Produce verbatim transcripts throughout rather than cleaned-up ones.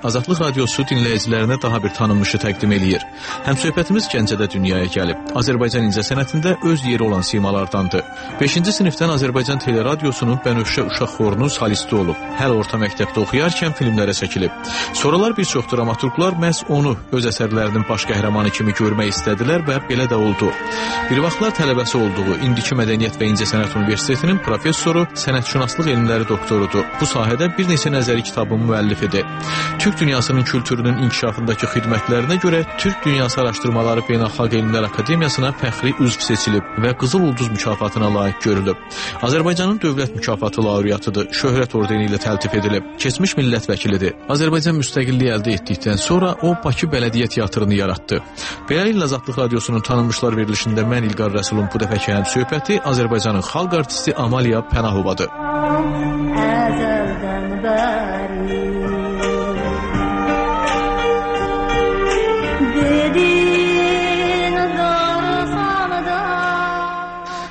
Azadlıq Radiosu dinləyicilərinə daha bir tanınmışı təqdim eləyir. Həmsöhbətimiz Gəncədə dünyaya gəlib. Azərbaycan incəsənətində öz yeri olan simalardandır. beşinci sinifdən Azərbaycan Teleradiosunun Bənövşə uşaq xorunun solisti olub. Hələ orta məktəbdə oxuyarkən filmlərə çəkilib. Sonralar bir çox dramaturqlar məhz onu öz əsərlərinin baş qəhrəmanı kimi görmək istədilər və belə də oldu. Bir vaxtlar tələbəsi olduğu İndiki Mədəniyyət və İncəsənət Universitetinin professoru, sənətşünaslıq elmləri doktorudur. Bu sahədə bir neçə nəzəri kitabın müəllifidir. Türk dünyasının kültürünün inkişafındakı xidmətlərinə görə Türk Dünyası Araşdırmaları Beynəlxalq Elmlər Akademiyasına fəxri üzv seçilib və Qızıl Ulduz mükafatına layiq görülüb. Azərbaycanın dövlət mükafatı laureatıdır, şöhrət ordeni ilə təltif edilib. Keçmiş millət vəkilidir. Azərbaycan müstəqilliyi əldə etdikdən sonra o Bakı Bələdiyyə Teatrını yaratdı. Beləliklə Azadlıq Radiosunun tanınmışlar verilişində mən İlqar Rəsulun bu dəfəki həmsöhbəti Azərbaycanın xalq artisti Amaliya Pənahovadır.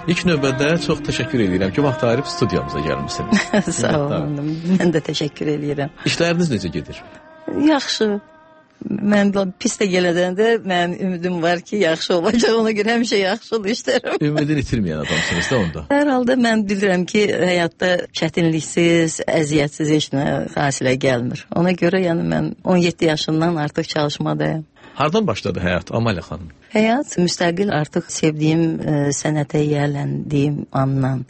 İlk növbədə çox təşəkkür edirəm ki, vaxt ayırıb studiyamıza gəlmişsiniz. Sağ olun, mən də təşəkkür edirəm. İşləriniz necə gedir? Yaxşı. Mən pis də gələdən də mənim ümidim var ki, yaxşı olacaq, ona görə həmişə yaxşıdır işlərim. Ümidini itirməyən adamsınız da onda. Hər halda mən bilirəm ki, həyatda çətinliksiz, əziyyətsiz heç nə hasilə gəlmir. Ona görə yəni mən on yeddi yaşından artıq çalışmadayım. Hardan başladı həyat Amaliya xanım? Həyat müstəqil artıq sevdiyim e, sənətə yiyələndiyim andan.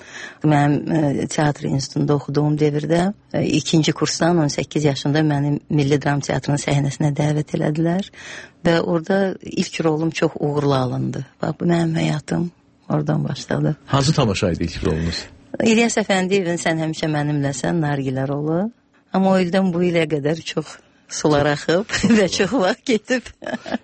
Mənim e, teatr institutunda oxuduğum devirdə e, ikinci kursdan on səkkiz yaşında mənim Milli Dram Teatrının səhnəsinə dəvət elədilər və orada ilk rolum çox uğurlu alındı. Bax, bu mənim həyatım oradan başladı. Hansı tamaşa idi ilk rolunuz? İlyas Əfəndiyevin Sən həmişə mənimləsən Nargilə rolu. Amma o ildən bu ilə qədər çox sular axıb və çox vaxt getib.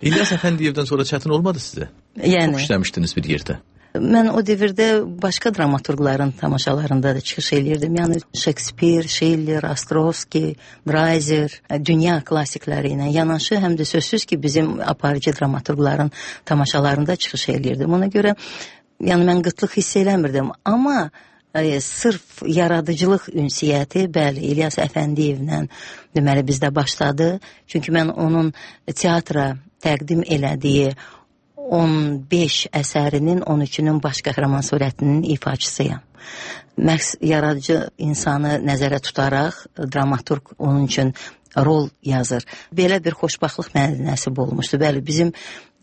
İlyas Əfəndiyevdən sonra çətin olmadı sizə? Yəni. Çox işləmişdiniz bir yerdə. Mən o devirdə başqa dramaturqların tamaşalarında da çıxış eləyirdim. Yəni Shakespeare, Schiller, Ostrovski, Dreiser, dünya klassikləri ilə yanaşı, həm də sözsüz ki, bizim aparıcı dramaturqların tamaşalarında çıxış eləyirdim. Ona görə yəni mən qıtlıq hiss eləmirdim. Amma e, sırf yaradıcılıq ünsiyyəti, bəli, İlyas Əfəndiyevlə deməli bizdə başladı. Çünki mən onun teatra təqdim elədiyi on beş əsərinin on üçünün baş qəhrəman surətinin ifaçısıyam. Məqs yaradıcı insanı nəzərə tutaraq dramaturq onun üçün rol yazır. Belə bir xoşbaxtlıq mənə nəsib olmuşdu. Bəli, bizim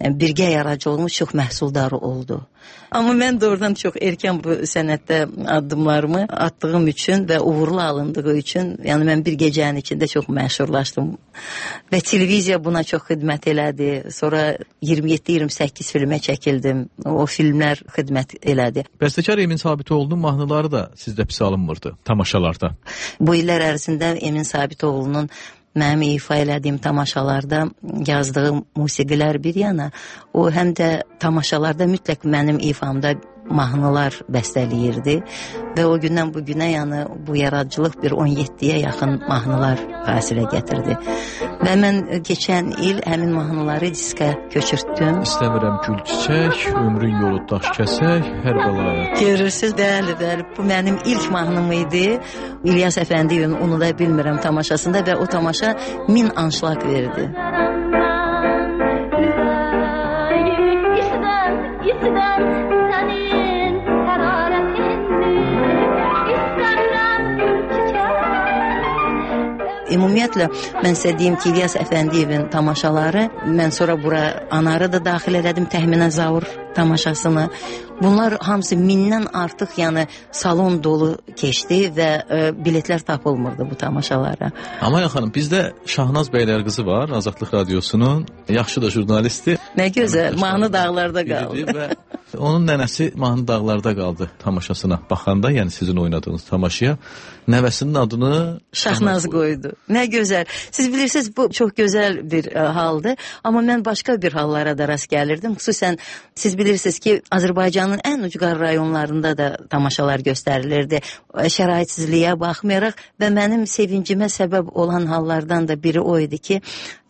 birgə yaradıcılığımız çox məhsuldar oldu. Amma mən doğrudan çox erkən bu sənətdə addımlarımı atdığım üçün və uğurlu alındığı üçün, yəni mən bir gecənin içində çox məşhurlaşdım. Və televiziya buna çox xidmət elədi. Sonra iyirmi yeddi iyirmi səkkiz filmə çəkildim. O filmlər xidmət elədi. Bəstəkar Emin Sabitoğlu'nun mahnıları da sizdə pis alınmırdı tamaşalarda. Bu illər ərzində Emin Sabitoğlu'nun mənim ifa elədiyim tamaşalarda yazdığım musiqilər bir yana, o həm də tamaşalarda mütləq mənim ifamda mahnılar bəstələyirdi və o gündən bu günə yəni bu yaradıcılıq bir on yeddiyə yaxın mahnılar fasilə gətirdi. Və mən keçən il həmin mahnıları diskə köçürtdüm. İstəmirəm gül çiçək, ömrün yolu daş kəsək, hər bəlaya. Görürsüz, bəli, bəli. Bu mənim ilk mahnım idi. İlyas Əfəndiyevin Onu da bilmirəm tamaşasında və o tamaşa min anşlaq verdi. Ümumiyyətlə, mən sizə deyim ki, İlyas Əfəndiyevin tamaşaları, mən sonra bura Anarı da daxil elədim, Təxminə Zaur tamaşasını. Bunlar hamısı mindən artıq, yəni salon dolu keçdi və e, biletlər tapılmırdı bu tamaşalara. Amaliya xanım, bizdə Şahnaz Bəylərqızı var, Azadlıq Radiosunun, yaxşı da jurnalisti. Nə gözəl, Mahnı dağlarda qaldı. Və onun nənəsi Mahnı dağlarda qaldı tamaşasına baxanda, yəni sizin oynadığınız tamaşaya. Nəvəsinin adını Şahnaz qoydu. Nə gözəl. Siz bilirsiniz, bu çox gözəl bir ə, haldır. Amma mən başqa bir hallara da rast gəlirdim. Xüsusən siz bilirsiniz ki, Azərbaycanın ən ucqar rayonlarında da tamaşalar göstərilirdi. Şəraitsizliyə baxmayaraq və mənim sevincimə səbəb olan hallardan da biri o idi ki,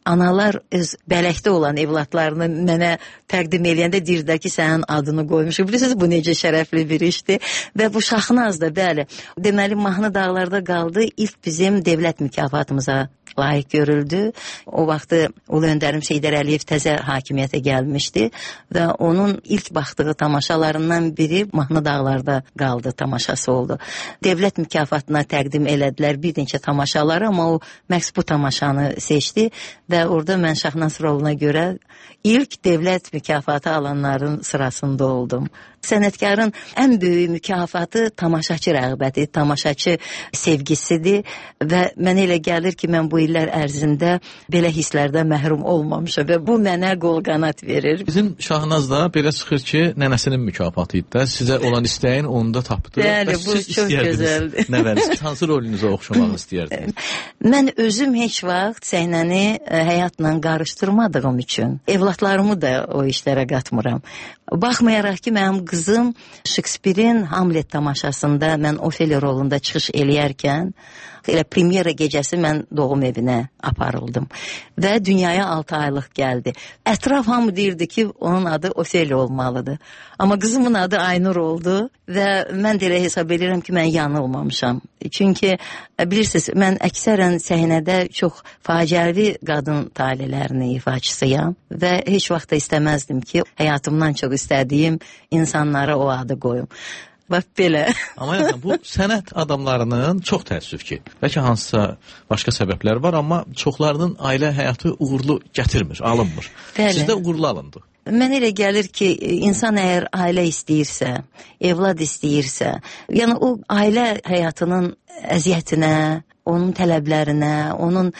analar öz bələkdə olan evlatlarını mənə təqdim eləyəndə deyirlər ki, sənin adını qoymuşuq. Bilirsiniz, bu necə şərəfli bir işdir. Və bu Şahnaz da, bəli, deməli, Mahnı dağlarda qaldı. İlk bizim dövlət mükafatımıza layiq görüldü. O vaxtı Ulu Öndərim Heydər Əliyev təzə hakimiyyətə gəlmişdi və onun ilk baxdığı tamaşalarından biri Mahnı Dağlarda qaldı tamaşası oldu. Dövlət mükafatına təqdim elədilər bir neçə tamaşaları, amma o məhz bu tamaşanı seçdi və orada mən Şahnaz roluna görə ilk dövlət mükafatı alanların sırasında oldum. Sənətkarın ən böyük mükafatı tamaşaçı rəğbəti, tamaşaçı sevgisidir və mənə elə gəlir ki, mən bu illər ərzində belə hisslərdən məhrum olmamışam və bu mənə qol-qanat verir. Bizim Şahnazda belə çıxır ki, nənəsinin mükafatı idi də, sizə olan istəyin onu da tapdı. Bəli, bu çox gözəldir. Nəvəniz hansı rolünüzə oxşamağı istəyərdiniz? Mən özüm heç vaxt səhnəni həyatla qarışdırmadığım üçün evlatlarımı da o işlərə qatmıram. Baxmayaraq ki, mənim qızım Şekspirin Hamlet tamaşasında mən Ofeliya rolunda çıxış eləyərkən elə premyera gecəsi mən doğum evinə aparıldım və dünyaya altı aylıq gəldi. Ətraf hamı deyirdi ki, onun adı Ofeliya olmalıdır. Amma qızımın adı Aynur oldu və mən də elə hesab edirəm ki, mən yanılmamışam. Çünki bilirsiniz, mən əksərən səhnədə çox faciəvi qadın talelərinin ifaçısıyam və heç vaxt da istəməzdim ki, həyatımdan çox istədiyim insanlara o adı qoyum. Bax belə. Amma yəni, bu sənət adamlarının çox təəssüf ki, bəlkə hansısa başqa səbəblər var, amma çoxlarının ailə həyatı uğurlu gətirmir, alınmır. Bəli. Sizdə uğurlu alındı. Mən elə gəlir ki, insan əgər ailə istəyirsə, evlad istəyirsə, yəni o ailə həyatının əziyyətinə, onun tələblərinə, onun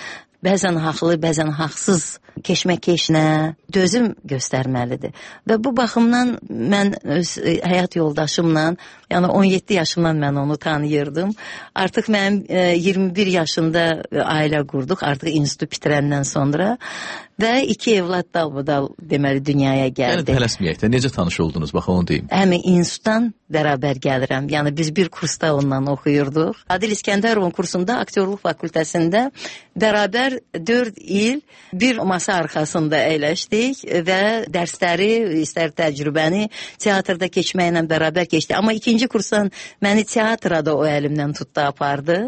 bəzən haqlı, bəzən haqsız keşməkeşinə dözüm göstərməlidir. Və bu baxımdan mən öz həyat yoldaşımla, yəni on yeddi yaşımdan mən onu tanıyırdım. Artıq mənim iyirmi bir yaşında ailə qurduq, artıq institut bitirəndən sonra və iki evlad dalbadal deməli dünyaya gəldi. Yəni tələsməyək də, necə tanış oldunuz, bax onu deyim. Həmin institutdan bərabər gəlirəm. Yəni biz bir kursda ondan oxuyurduq. Adil İskəndərovun kursunda, aktyorluq fakültəsində bərabər dörd il bir masa arxasında əyləşdik və dərsləri, istər təcrübəni teatrda keçməklə bərabər keçdi. Amma ikinci kursdan məni teatra da o əlimdən tutdu, apardı.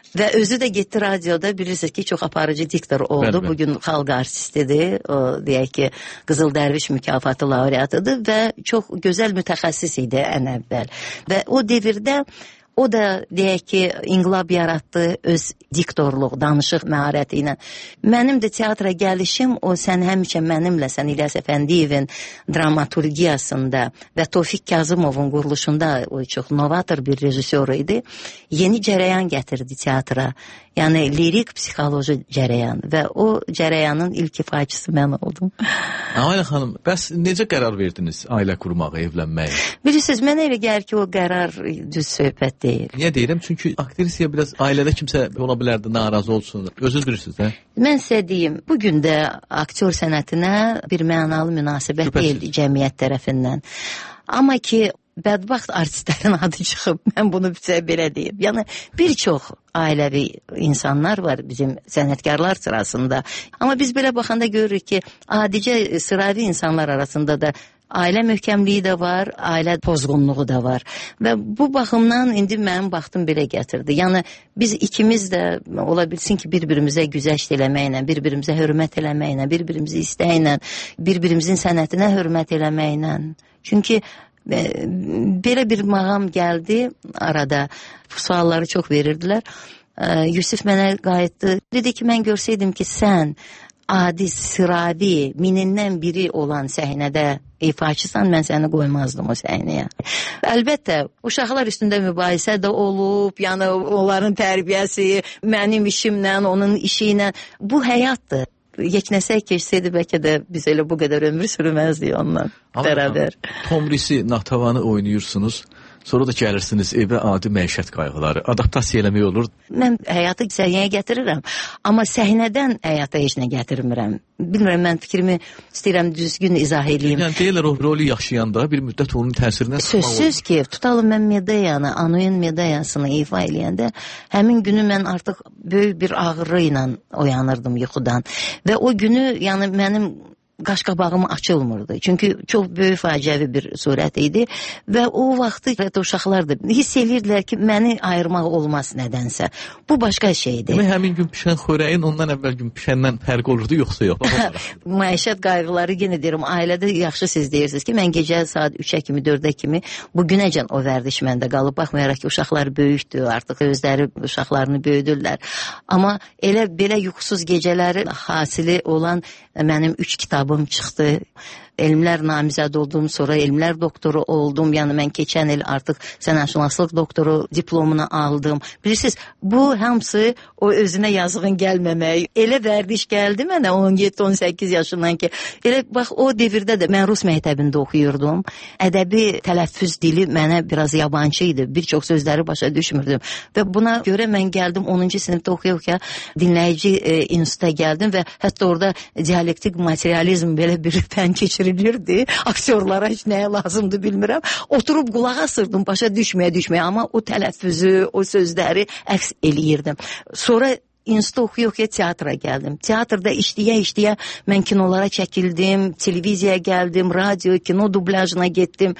Və özü də getdi radioda, bilirsiniz ki, çox aparıcı diktor oldu. Bəli, bəli. Bugün xalq artistidir, o, deyək ki, Qızıl Dərviş mükafatı laureatıdır və çox gözəl mütəxəssis idi ən əvvəl. Və o devirdə o da deyək ki, inqilab yaratdı öz diktorluq, danışıq məharəti ilə. Mənim də teatra gəlişim, o sən həmişə mənimlə, sən İlyas Əfəndiyevin dramaturgiyasında və Tofiq Kazımovun quruluşunda o çox novator bir rejissor idi. Yeni cərəyan gətirdi teatra. Yəni lirik psixoloji cərəyan və o cərəyanın ilk ifaçısı mən oldum. Ayla xanım, bəs necə qərar verdiniz ailə qurmağa, evlənməyə? Bilirsiniz, mənə elə gəlir ki, o qərar düz söhbət deyil. Niyə deyirəm? Çünki aktrisiya biraz ailədə kimsə ola bilərdi, narazı olsun. Özünüz bilirsiniz, hə? Mən sizə deyim, bugün də aktyor sənətinə bir mənalı münasibət Şübhəsiz. Deyil cəmiyyət tərəfindən. Amma ki, bədbaxt artistlərin adı çıxıb, mən bunu belə deyim. Yəni, bir çox ailəvi insanlar var bizim sənətkarlar sırasında. Amma biz belə baxanda görürük ki, adicə sıravi insanlar arasında da ailə möhkəmliyi də var, ailə pozğunluğu da var. Və bu baxımdan indi mənim vaxtım belə gətirdi. Yəni, biz ikimiz də ola bilsin ki, bir-birimizə güzəşt eləməklə, bir-birimizə hörmət eləməklə, bir-birimizi istəklə, bir-birimizin sənətinə hörmət eləməklə. Çünki belə bir mağam gəldi arada, sualları çox verirdilər. Yusif mənə qayıtdı, dedi ki, mən görsəydim ki, sən adi, sıravi, minindən biri olan səhnədə ifaçısan, mən səni qoymazdım o səhnəyə. Əlbəttə, uşaqlar üstündə mübahisə də olub, yəni onların tərbiyəsi, mənim işimlə, onun işi ilə, bu həyatdır. Yeknəsək keçsəydi, bəlkə də biz elə bu qədər ömür sürməzdik ondan bərabər. Tomrisi, Natavanı oynayırsınız, sonra da gəlirsiniz evə, adi məişət qayğıları, adaptasiya eləmək olur. Mən həyatı səhiyyəyə gətirirəm, amma səhnədən həyata heç nə gətirmirəm. Bilmirəm, mən fikrimi istəyirəm düzgün izah edeyim. Yəni deyirlər, o rolü yaşayanda bir müddət onun təsirindən çıxmaq olur. Sözsüz ki, tutalım mən Medeyanı, Anuin Medeyasını ifa eləyəndə, həmin günü mən artıq böyük bir ağrı ilə oyanırdım yuxudan. Və o günü, yəni mənim qaşqabağım açılmırdı. Çünki çox böyük faciəvi bir surət idi və o vaxtı uşaqlar da hiss edirdilər ki, məni ayırmaq olmaz nədənsə. Bu başqa şeydir. Demək, həmin gün pişən xörəyin ondan əvvəl gün pişəndən fərq olurdu, yoxsa yox? Məişət qayğıları, yenə deyirəm, ailədə yaxşı siz deyirsiniz ki, mən gecə saat üçə kimi, dördə kimi bu günəcən o vərdiş məndə qalıb, baxmayaraq ki, uşaqlar böyükdür, artıq özləri uşaqlarını böyüdürlər. Amma elə belə yuxusuz gecələri hasili olan mənim üç kitabım çıxdı. Elmlər namizəd oldum, sonra elmlər doktoru oldum. Yəni mən keçən il artıq sənətşünaslıq doktoru diplomunu aldım. Bilirsiniz, bu hamısı o özünə yazığın gəlməmək. Elə vərdiş gəldi mənə on yeddi on səkkiz yaşından ki, elə bax o devirdə də mən rus məktəbində oxuyurdum. Ədəbi tələffüz dili mənə biraz yabancı idi. Bir çox sözləri başa düşmürdüm. Və buna görə mən gəldim onuncu sinifdə oxuya-oxuya dinləyici e, instituta gəldim və hətta orada dialektik materializm belə bir fən keçirildi. Aktyorlara heç nəyə lazımdır bilmirəm. Oturub qulaq asırdım, başa düşməyə düşməyə, amma o tələffüzü, o sözləri əks eləyirdim. Sonra institut oxuya-oxuya teatra gəldim. Teatrda işləyə-işləyə mən kinolara çəkildim, televiziyaya gəldim, radio, kino dublyajına getdim.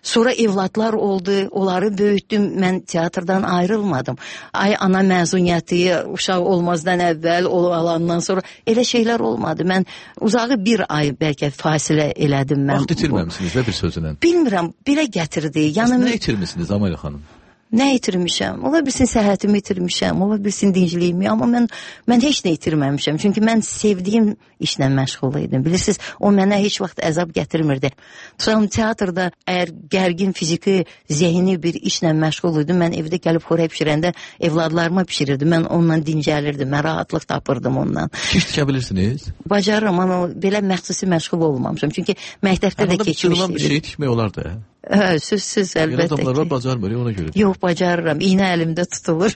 Sonra evladlar oldu, onları böyütdüm. Mən teatrdan ayrılmadım. Ay ana məzuniyyəti, uşaq olmazdan əvvəl, o alandan sonra elə şeylər olmadı. Mən uzağı bir ay bəlkə fasilə elədim mən. Vaxt itirməmisiniz də bir sözünə? Bilmirəm, belə gətirdi. Yəni, nə itirmişsiniz Amalə xanım? Nə itirmişəm? Ola bilsin səhhətimi itirmişəm, ola bilsin dincliyimi, amma mən mən heç nə itirməmişəm. Çünki mən sevdiyim işlə məşğul idim. Bilirsiniz, o mənə heç vaxt əzab gətirmirdi. Tutalım teatrda əgər gərgin fiziki, zehni bir işlə məşğul idim, mən evdə gəlib xörək bişirəndə evladlarıma pişirirdim. Mən onunla dincəlirdim, mən rahatlıq tapırdım ondan. Kiş tikə bilirsiniz? Bacarıram, amma belə məxsusi məşğul olmamışam. Çünki məktəbdə də keçmişdim. Bir şey tikmək olar da. Hə, sözsüz əlbəttə ki. Adamlar var, bacarmır, ona görə. Yox, bacarıram. İynə əlimdə tutulur.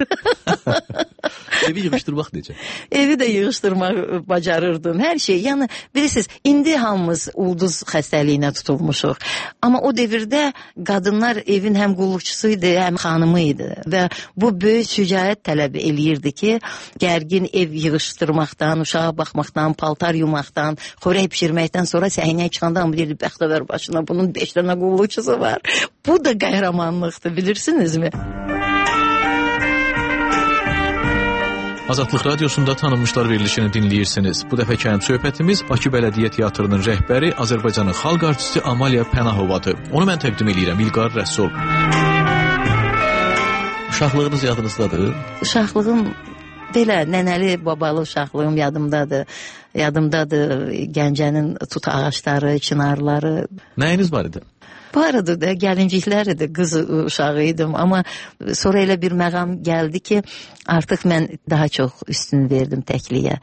Evi yığışdırmaq necə? Evi də yığışdırmaq bacarırdım. Hər şey. Yəni, bilirsiniz, indi hamımız ulduz xəstəliyinə tutulmuşuq. Amma o devirdə qadınlar evin həm qulluqçusu idi, həm xanımı idi. Və bu böyük şücaət tələb eləyirdi ki, gərgin ev yığışdırmaqdan, uşağa baxmaqdan, paltar yumaqdan, xörək pişirməkdən sonra səhnəyə çıxanda hamı deyirdi, bəxtəvər başına bunun beş dənə qulluqçusu var. Bu da qəhrəmanlıqdır, bilirsinizmi? Azadlıq Radiosunda tanınmışlar verilişini dinləyirsiniz. Bu dəfəki həm söhbətimiz Bakı Bələdiyyə Teatrının rəhbəri, Azərbaycanın xalq artisti Amalia Pənahovadır. Onu mən təqdim edirəm, İlqar Rəsul. Uşaqlığınız yadınızdadır? Uşaqlığım belə nənəli, babalı uşaqlığım yadımdadır. Yadımdadır Gəncənin tut ağaçları, çınarları. Nəyiniz var idi? Vardı da, gəlinciklər idi, qız uşağı idim. Amma sonra elə bir məqam gəldi ki, artıq mən daha çox üstün verdim təkliyə.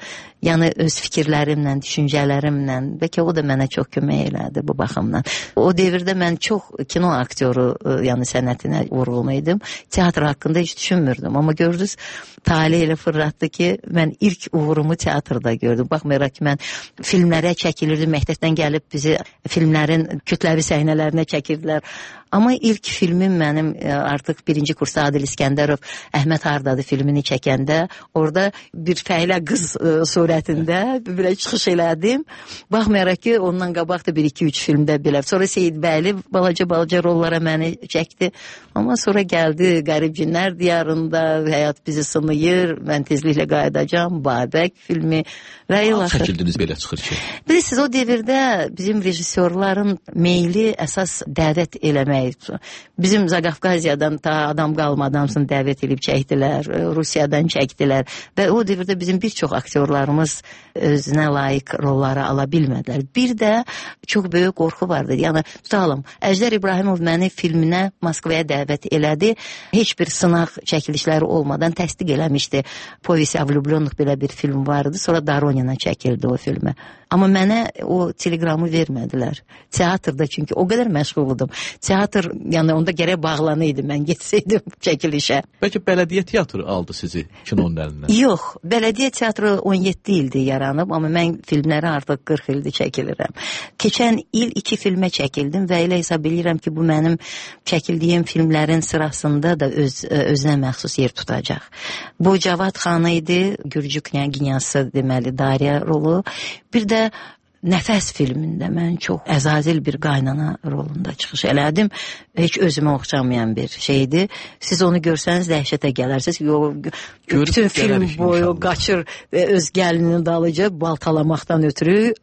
Yəni öz fikirlərimlə, düşüncələrimlə, bəlkə o da mənə çox kömək elədi bu baxımdan. O devirdə mən çox kino aktyoru, yəni sənətinə vurğulmaydım. Teatr haqqında heç düşünmürdüm. Amma gördünüz, talih elə fırlatdı ki, mən ilk uğurumu teatrda gördüm. Baxmayaraq ki, mən filmlərə çəkilirdim, məktəbdən gəlib bizi filmlərin kütləvi səhnələrinə çəkirdilər. Amma ilk filmim mənim artıq birinci kursda Adil İskəndərov Əhməd Hardadı filmini çəkəndə orada bir fəhlə qız surətində belə çıxış elədim. Baxmayaraq ki, ondan qabaq da bir iki üç filmdə belə. Sonra Seyid Bəyli balaca-balaca rollara məni çəkdi. Amma sonra gəldi Qərib Cinlər diyarında, Həyat bizi sınayır, mən tezliklə qayıdacam, Babək filmi və ilaxır. Çəkildiniz belə çıxır ki. Bilirsiniz, o devirdə bizim rejissorların meyli əsas dəvət eləmək. Bizim Zaqafqaziyadan ta adam qalmadan dəvət edib çəkdilər, Rusiyadan çəkdilər və o devirdə bizim bir çox aktyorlarımız özünə layiq rolları ala bilmədilər. Bir də çox böyük qorxu vardı. Yəni, tutalım, Əjdər İbrahimov məni filminə Moskvaya dəvət elədi. Heç bir sınaq çəkilişləri olmadan təsdiq eləmişdi. Povesi o влюбленных belə bir film vardı. Sonra Doronina çəkildi o filmə. Amma mənə o teleqramı vermədilər. Teatrda, çünki o qədər məşğuldum. Teatr, yəni onda gərək bağlanıydı, mən getsəydim çəkilişə. Bəlkə bələdiyyə teatrı aldı sizi kinonun əlindən? Yox, bələdiyyə teatrı on yeddi ildir yaranıb, amma mən filmləri artıq qırx ildir çəkilirəm. Keçən il iki filmə çəkildim və elə hesab edirəm ki, bu mənim çəkildiyim filmlərin sırasında da öz, özünə məxsus yer tutacaq. Bu Cavad xanı idi, Gürcü knyaginyası deməli, Dariya rolu. Bir də Nəfəs filmində mən çox əzazil bir qaynana rolunda çıxış elədim. Heç özümə oxşamayan bir şeydir. Siz onu görsəniz dəhşətə gələrsiniz. Yo, bütün film boyu qaçır və öz gəlininin dalıca baltalamaqdan ötürü.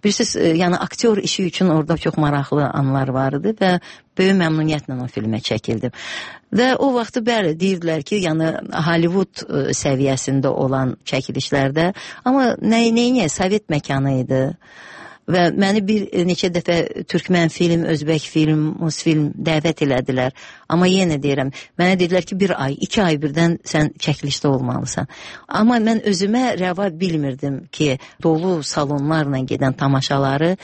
Bilirsiniz, yəni aktyor işi üçün orada çox maraqlı anlar vardı və böyük məmnuniyyətlə o filmə çəkildim. Və o vaxtı bəli deyirdilər ki, yəni Hollywood səviyyəsində olan çəkilişlərdə, amma nə nəyə Sovet məkanı idi. Və məni bir neçə dəfə türkmən film, özbək film, rus film dəvət elədilər. Amma yenə deyirəm, mənə dedilər ki, bir ay, iki ay birdən sən çəkilişdə olmalısan. Amma mən özümə rəva bilmirdim ki, dolu salonlarla gedən tamaşaları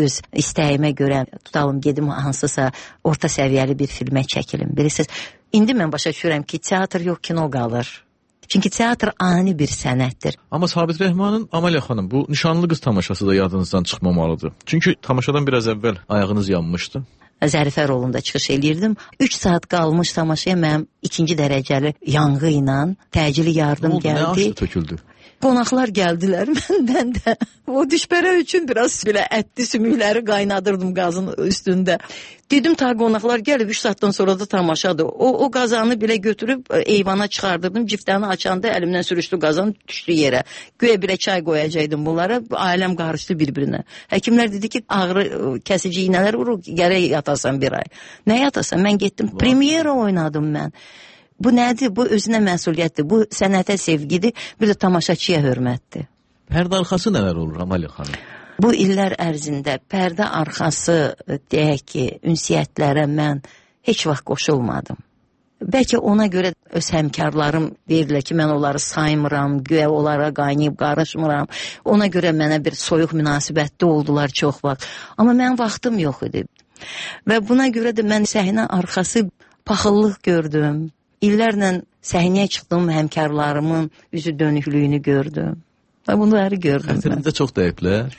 öz istəyimə görə tutalım, gedim hansısa orta səviyyəli bir filmə çəkilim. Bilirsiniz, indi mən başa düşürəm ki, teatr yox, kino qalır. Çünki teatr ani bir sənətdir. Amma Sabit Rəhmanın Amaliya xanım, bu Nişanlı qız tamaşası da yadınızdan çıxmamalıdır. Çünki tamaşadan biraz əvvəl ayağınız yanmışdı. Zərifə rolunda çıxış eləyirdim. üç saat qalmış tamaşaya mənim ikinci dərəcəli yanğı ilə təcili yardım oldu, gəldi. Nə aşdı töküldü? Qonaqlar gəldilər məndən də. O düşbərə üçün biraz belə ətli sümükləri qaynadırdım qazın üstündə. Dedim ta qonaqlar gəlib üç saatdan sonra da tamaşadır. O, o qazanı belə götürüb eyvana çıxardırdım. Ciftəni açanda əlimdən sürüşdü qazan, düşdü yerə. Göyə belə çay qoyacaqdım bunlara. Ailəm qarışdı bir-birinə. Həkimlər dedi ki, ağrı kəsici iynələr vurur, gərək yatasan bir ay. Nə yatasan? Mən getdim, premyera oynadım mən. Bu nədir? Bu özünə məsuliyyətdir. Bu sənətə sevgidir. Bir də tamaşaçıya hörmətdir. Pərdə arxası nələr olur Amaliya xanım? Bu illər ərzində pərdə arxası deyək ki, ünsiyyətlərə mən heç vaxt qoşulmadım. Bəlkə ona görə öz həmkarlarım deyirlər ki, mən onları saymıram, güya onlara qaynayıb qarışmıram. Ona görə mənə bir soyuq münasibətdə oldular çox vaxt. Amma mənim vaxtım yox idi. Və buna görə də mən səhnə arxası paxıllıq gördüm. İllərlə səhnəyə çıxdığım həmkarlarımın üzü dönüklüyünü gördüm. Və bunları gördüm. Xətirinizdə çox dəyiblər?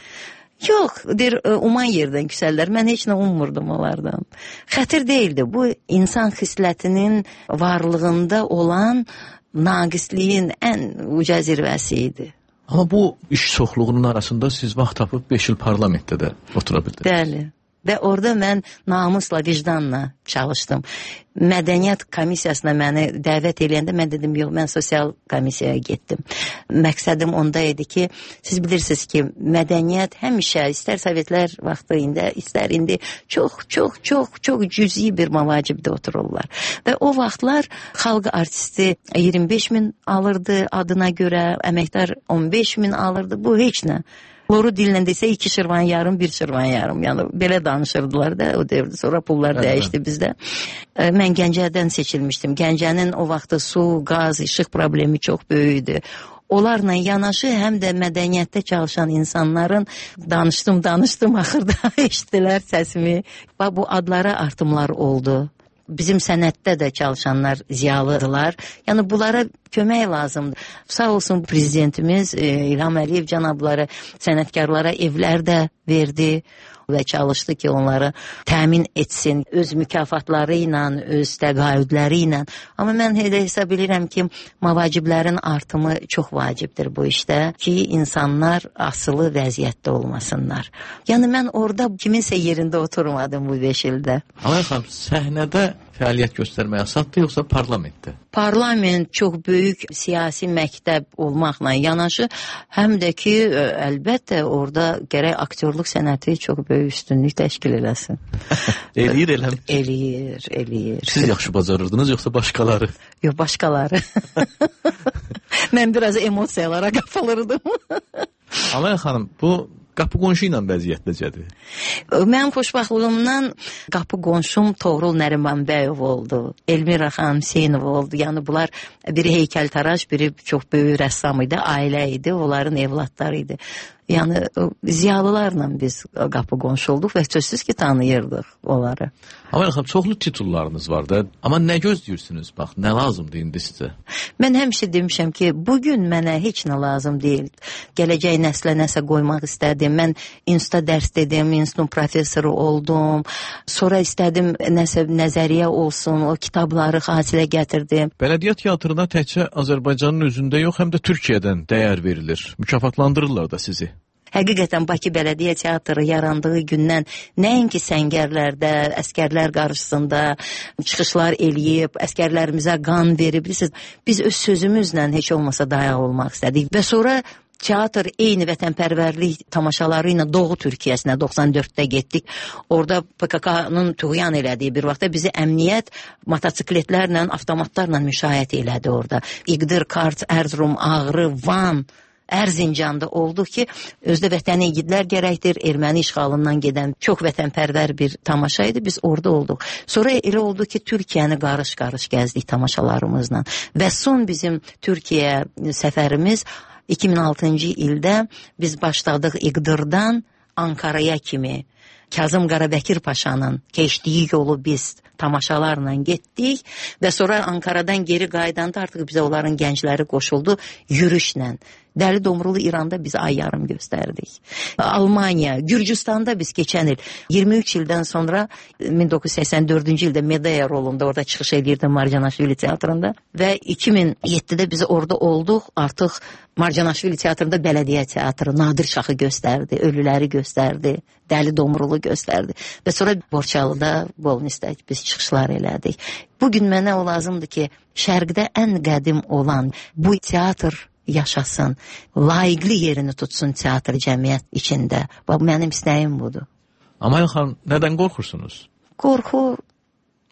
Yox, deyir, uman yerdən küsəllər. Mən heç nə ummurdum onlardan. Xətir deyildi. Bu, insan xislətinin varlığında olan naqisliyin ən uca zirvəsi idi. Amma bu iş çoxluğunun arasında siz vaxt tapıb beş il parlamentdə də otura bildiniz. Bəli. Və orada mən namusla, vicdanla çalışdım. Mədəniyyət komissiyasına məni dəvət eləyəndə mən dedim, yox, mən sosial komissiyaya getdim. Məqsədim onda idi ki, siz bilirsiniz ki, mədəniyyət həmişə, istər Sovetlər vaxtı indi, istər indi çox, çox, çox, çox cüzi bir mavacibdə otururlar. Və o vaxtlar xalq artisti iyirmi beş min alırdı adına görə, əməkdar on beş min alırdı, bu heç nə. Loru dillə desə iki şırvan yarım, bir şırvan yarım. Yəni belə danışırdılar da o dövrdə. Sonra pullar dəyişdi bizdə. Mən Gəncədən seçilmişdim. Gəncənin o vaxtı su, qaz, işıq problemi çox böyük idi. Onlarla yanaşı həm də mədəniyyətdə çalışan insanların danışdım, danışdım, axırda eşitdilər səsimi. Bax, bu adlara artımlar oldu. Bizim sənətdə də çalışanlar ziyalıdırlar. Yəni bunlara kömək lazımdır. Sağ olsun prezidentimiz İlham Əliyev cənabları sənətkarlara evlər də verdi və çalışdı ki, onları təmin etsin öz mükafatları ilə, öz təqaüdləri ilə. Amma mən elə hesab edirəm ki, mavaciblərin artımı çox vacibdir bu işdə ki, insanlar asılı vəziyyətdə olmasınlar. Yəni mən orada kiminsə yerində oturmadım bu beş ildə. Amaliya xanım, səhnədə fəaliyyət göstərmək asaddır, yoxsa parlamentdə? Parlament çox böyük siyasi məktəb olmaqla yanaşı, həm də ki, əlbəttə orada gərək aktyorluq sənəti çox böyük üstünlük təşkil eləsin. Eləyir, eləmir. Eləyir, eləyir. Siz yaxşı bacarırdınız, yoxsa başqaları? Yox, başqaları. Mən biraz emosiyalara qapılırdım. Amaliya xanım, bu qapı qonşu ilə vəziyyət necədir? Mənim xoşbaxtlığımdan qapı qonşum Toğrul Nərimanbəyov oldu. Elmira xanım Hüseynov oldu. Yəni bunlar biri heykəltaraş, biri çox böyük rəssam idi, ailə idi, onların evlatları idi. Yəni ziyalılarla biz qapı qonşu olduq və sözsüz ki, tanıyırdıq onları. Amaliya xanım, çoxlu titullarınız var da, amma nə gözləyirsiniz? Bax, nə lazımdır indi sizə? Mən həmişə demişəm ki, bugün mənə heç nə lazım deyil. Gələcək nəslə nəsə qoymaq istədim. Mən institutda dərs dedim, institutun professoru oldum. Sonra istədim nəsə nəzəriyyə olsun, o kitabları hasilə gətirdim. Bələdiyyə teatrına təkcə Azərbaycanın özündə yox, həm də Türkiyədən dəyər verilir. Mükafatlandırırlar da sizi. Həqiqətən Bakı Bələdiyyə Teatrı yarandığı gündən nəinki səngərlərdə, əskərlər qarşısında çıxışlar eləyib, əskərlərimizə qan verib, bilirsiniz, biz öz sözümüzlə heç olmasa dayaq olmaq istədik. Və sonra teatr eyni vətənpərvərlik tamaşaları ilə Doğu Türkiyəsinə doxsan dörddə getdik. Orada P K K-nın tuğyan elədiyi bir vaxtda bizi əmniyyət motosikletlərlə, avtomatlarla müşayiət elədi orada. İqdir, Kars, Erzurum, Ağrı, Van, Erzincanda oldu ki, özdə vətəni igidlər gərəkdir, erməni işğalından gedən çox vətənpərvər bir tamaşa idi, biz orada olduq. Sonra elə oldu ki, Türkiyəni qarış-qarış gəzdik tamaşalarımızla və son bizim Türkiyə səfərimiz iki min altıncı ildə biz başladıq İqdirdən Ankaraya kimi. Kazım Qarabəkir Paşanın keçdiyi yolu biz tamaşalarla getdik və sonra Ankaradan geri qaydanda artıq bizə onların gəncləri qoşuldu yürüşlə. Dəli Domrulu İranda biz ay yarım göstərdik. Almaniya, Gürcüstanda biz keçən il iyirmi üç ildən sonra min doqquz yüz səksən dördüncü ildə Medea rolunda orada çıxış edirdim Marjanaşvili teatrında və iki min yeddidə biz orada olduq. Artıq Marjanaşvili teatrında Bələdiyyə Teatrı Nadir Şahı göstərdi, Ölüləri göstərdi, Dəli Domrulu göstərdi və sonra Borçalıda, Bolnisdə biz çıxışlar elədik. Bugün mənə o lazımdır ki, şərqdə ən qədim olan bu teatr yaşasın, layiqli yerini tutsun teatr cəmiyyət içində. Bax, mənim istəyim budur. Amal xanım, nədən qorxursunuz? Qorxu,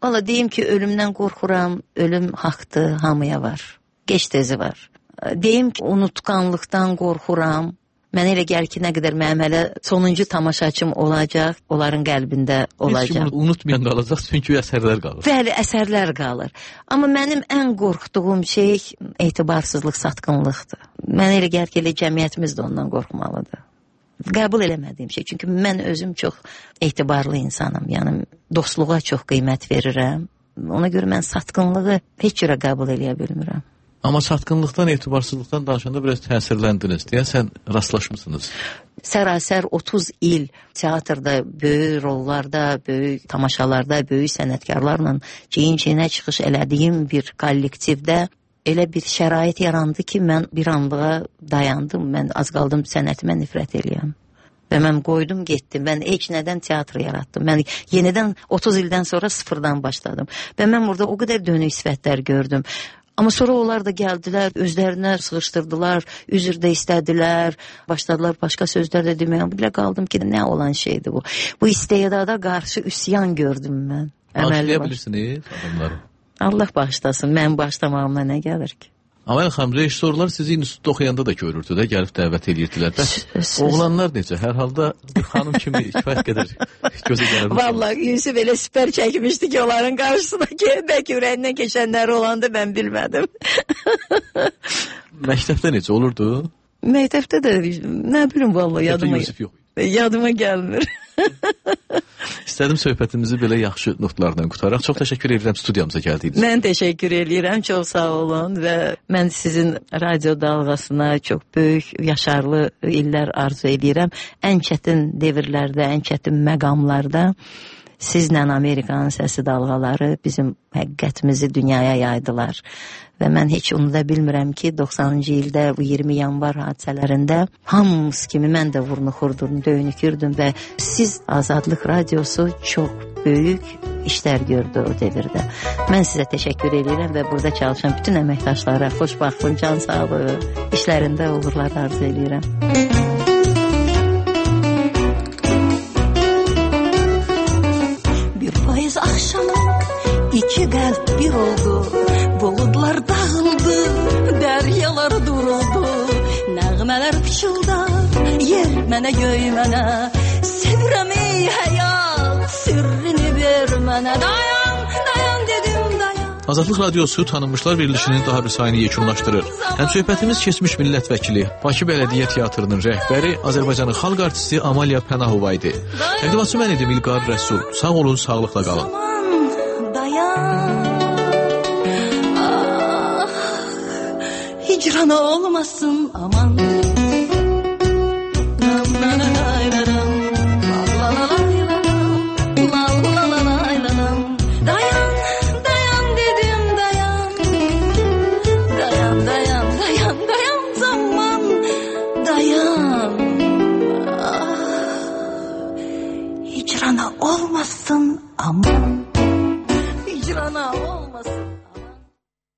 valla deyim ki, ölümdən qorxuram, ölüm haqdır, hamıya var, geç tezi var. Deyim ki, unutqanlıqdan qorxuram, mənə elə gəlir ki, nə qədər mənim hələ sonuncu tamaşaçım olacaq, onların qəlbində olacaq. Heç kim unutmayan qalacaq, çünki əsərlər qalır. Bəli, əsərlər qalır. Amma mənim ən qorxduğum şey etibarsızlıq, satqınlıqdır. Mənə elə gəlir ki, elə cəmiyyətimiz də ondan qorxmalıdır. Qəbul eləmədiyim şey, çünki mən özüm çox etibarlı insanım, yəni dostluğa çox qiymət verirəm. Ona görə mən satqınlığı heç cürə qəbul eləyə bilmirəm. Amma satqınlıqdan, etibarsızlıqdan danışanda biraz təsirləndiniz, deyəsən rastlaşmısınız. Sərasər otuz il teatrda, böyük rollarda, böyük tamaşalarda, böyük sənətkarlarla çiyin-çiyinə çıxış elədiyim bir kollektivdə elə bir şərait yarandı ki, mən bir anlığa dayandım, mən az qaldım sənətimə nifrət eləyəm. Və mən qoydum, getdim, mən heç nədən teatr yaratdım. Mən yenidən otuz ildən sonra sıfırdan başladım. Və mən burada o qədər dönük sifətlər gördüm. Amma sonra onlar da gəldilər, özlərinə sığışdırdılar, üzr də istədilər, başladılar başqa sözlər də deməyə. Belə qaldım ki, nə olan şeydir bu? Bu istedada qarşı üsyan gördüm mən. Bağışlaya bilirsiniz adamları? Allah bağışlasın, mən bağışlamağıma nə gəlir ki? Amal xanım, rejissorlar sizi institutda oxuyanda da görürdü də, gəlib dəvət edirdilər. Bəs oğlanlar necə? Hər halda bir xanım kimi kifayət qədər gözə gəlir. Vallahi Yusuf elə süper çəkmişdi ki, onların qarşısına bəlkə ürəyindən keçənlər olandı, mən bilmədim. Məktəbdə necə olurdu? Məktəbdə də, nə bilim vallahi yadıma, Yusuf yox. yadıma gəlmir. İstədim söhbətimizi belə yaxşı notlardan qutaraq. Çox təşəkkür edirəm studiyamıza gəldiyiniz. Mən təşəkkür edirəm, çox sağ olun və mən sizin radio dalğasına çox böyük, yaşarlı illər arzu edirəm. Ən çətin devirlərdə, ən çətin məqamlarda sizlə Amerikanın səsi dalğaları bizim həqiqətimizi dünyaya yaydılar. Və mən heç unuda bilmirəm ki, doxsanıncı ildə bu iyirmi yanvar hadisələrində hamımız kimi mən də vurnuxurdum, döyünükürdüm və siz Azadlıq Radiosu çox böyük işlər gördü o devirdə. Mən sizə təşəkkür edirəm və burada çalışan bütün əməkdaşlara xoşbaxtlıq, can sağlığı, işlərində uğurlar arzu edirəm. Bir payız axşam iki qəlb bir oldu, buludlar dağıldı, dəryalar duruldu, nəğmələr pıçıldar, yer mənə göy mənə, sevirəm ey həyat, sirrini ver mənə, dayan, dayan dedim, dayan. Azadlıq Radiosu Tanınmışlar Verilişinin daha bir sayını yekunlaşdırır. Həm söhbətimiz keçmiş millət vəkili, Bakı Bələdiyyə Teatrının rəhbəri, Azərbaycanın xalq artisti Amaliya Pənahova idi. Təqdimatçı mən idim İlqar Rəsul. Sağ olun, sağlıqla qalın. Aman, dayan. Hicrana olmasın aman.